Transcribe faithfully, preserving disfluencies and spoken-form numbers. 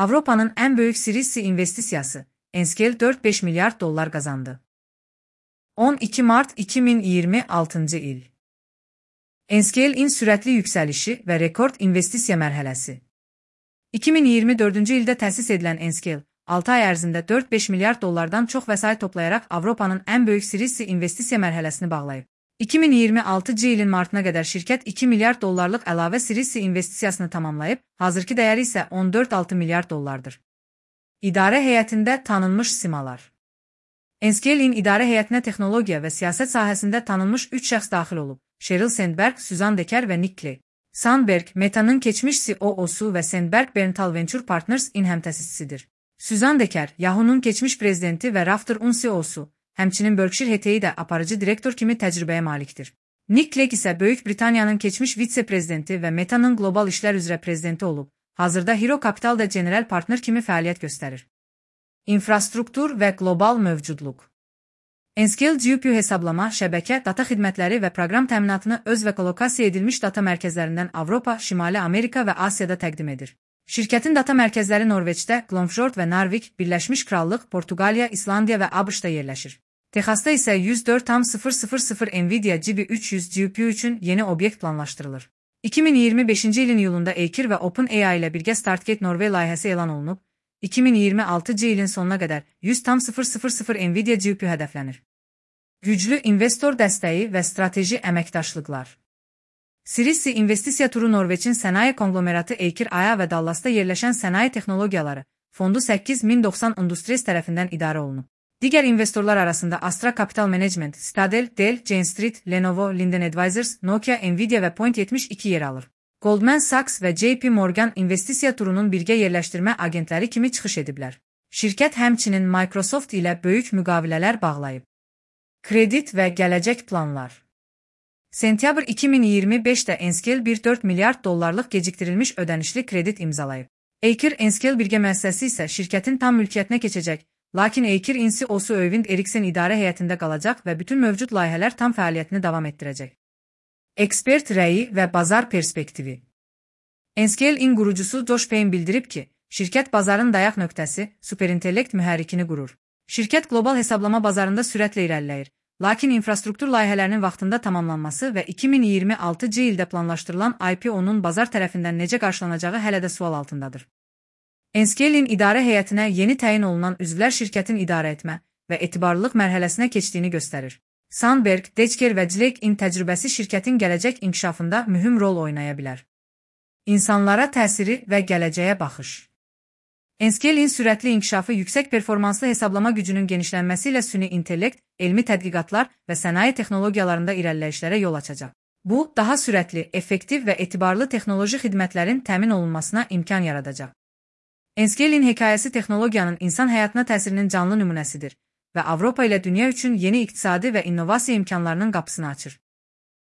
Avrupa'nın en büyük Series C investisiyası, Enscale dört beş milyar dolar kazandı. on iki Mart iki bin yirmi altıncı il. Enscale'in süratli yükselişi ve rekord investisiya mərhələsi. iki bin iyirmi dördüncü ildə təsis edilən Enscale, altı ay ərzində dört beş milyar dollardan çox vəsait toplayaraq Avropanın en büyük Series C investisiya mərhələsini bağlayıb. iki bin iyirmi altıncı ilin martına qədər şirkət iki milyar dollarlıq əlavə Series C investisiyasını tamamlayıb, hazırki dəyəri isə on dörd altı milyar dollardır. İdarə heyətində tanınmış simalar. Enscale'in idarə heyətinə texnologiya və siyasət sahəsində tanınmış üç şəxs daxil olub. Sheryl Sandberg, Suzanne Decker və Nick Clegg. Sandberg, Meta'nın keçmiş C E O-su və Sandberg Berntal Venture Partners-in həmtəsisisidir. Suzanne Decker, Yahoo'nun keçmiş prezidenti və Rafter-un C E O-su, həmçinin Berkshire Hathaway də aparıcı direktor kimi təcrübəyə malikdir. Nick Clegg isə Böyük Britaniyanın keçmiş vitse-prezidenti və Meta'nın qlobal işlər üzrə prezidenti olub. Hazırda Hero Capital'da general partner kimi fəaliyyət göstərir. İnfrastruktur və qlobal mövcudluq. Enscale G P U hesablama, şəbəkə, data xidmətləri və proqram təminatını öz və kolokasiya edilmiş data mərkəzlərindən Avropa, Şimali Amerika və Asiyada təqdim edir. Şirkətin data mərkəzləri Norveçdə, Glomfjord və Narvik, Birləşmiş Krallıq, Portuqaliya, İslandiya və ABŞ-da yerləşir. Texasda isə yüz dörd nöqtə Nvidia G B üç yüz G P U üçün yeni obyekt planlaşdırılır. iki bin iyirmi beşinci ilin iyulunda Eikir və OpenAI ilə birgə Startgate Norway layihəsi elan olunub. iki bin iyirmi altıncı ilin sonuna qədər yüz nöqtə Nvidia G P U hədəflənir. Güclü investor dəstəyi və strateji əməkdaşlıqlar. Series C investisiya turu Norveçin sənaye konglomeratı Eikir Aya və Dallasda yerləşən sənaye texnologiyaları fondu səkkiz min doxsan Industries tərəfindən idarə olunub. Digər investorlar arasında Astra Capital Management, Citadel, Dell, Jane Street, Lenovo, Linden Advisors, Nokia, Nvidia və Point yetmiş iki yer alır. Goldman Sachs və J P Morgan investisiya turunun birgə yerləşdirmə agentləri kimi çıxış ediblər. Şirkət həmçinin Microsoft ilə böyük müqavilələr bağlayıb. Kredit və gələcək planlar. Sentyabr iki min iyirmi beşdə Enscale bir nöqtə dörd milyard dollarlıq gecikdirilmiş ödənişli kredit imzalayıb. Eikir Enscale birgə müəssisəsi isə şirkətin tam mülkiyyətinə keçəcək, lakin Eikir C E O-su Öyvind Eriksen idarə heyətində qalacaq və bütün mövcud layihələr tam fəaliyyətini davam etdirəcək. Ekspert rəyi və bazar perspektivi. Enscale-in qurucusu Josh Payne bildirib ki, şirkət bazarın dayaq nöqtəsi, superintellekt mühərrikini qurur. Şirkət qlobal hesablama bazarında sürətlə irəliləyir, lakin infrastruktur layihələrinin vaxtında tamamlanması və iki min iyirmi altıncı ildə planlaşdırılan I P O-nun bazar tərəfindən necə qarşılanacağı hələ də sual altındadır. Enscale-in idarə heyətinə yeni təyin olunan üzvlər şirkətin idarə etmə və etibarlılıq mərhələsinə keçdiyini göstərir. Sandberg, Decker və Clegg-in təcrübəsi şirkətin gələcək inkişafında mühüm rol oynaya bilər. İnsanlara təsiri və gələcəyə baxış. Enscale-in sürətli inkişafı yüksək performanslı hesablama gücünün genişlənməsi ilə süni intellekt, elmi tədqiqatlar və sənaye texnologiyalarında irəliləyişlərə yol açacaq. Bu, daha sürətli, effektiv və etibarlı texnoloji xidmətlərin təmin olunmasına imkan yaradacaq. Enscale-in hekayəsi texnologiyanın insan həyatına təsirinin canlı nümunəsidir və Avropa ilə dünya üçün yeni iqtisadi və innovasiya imkanlarının qapısını açır.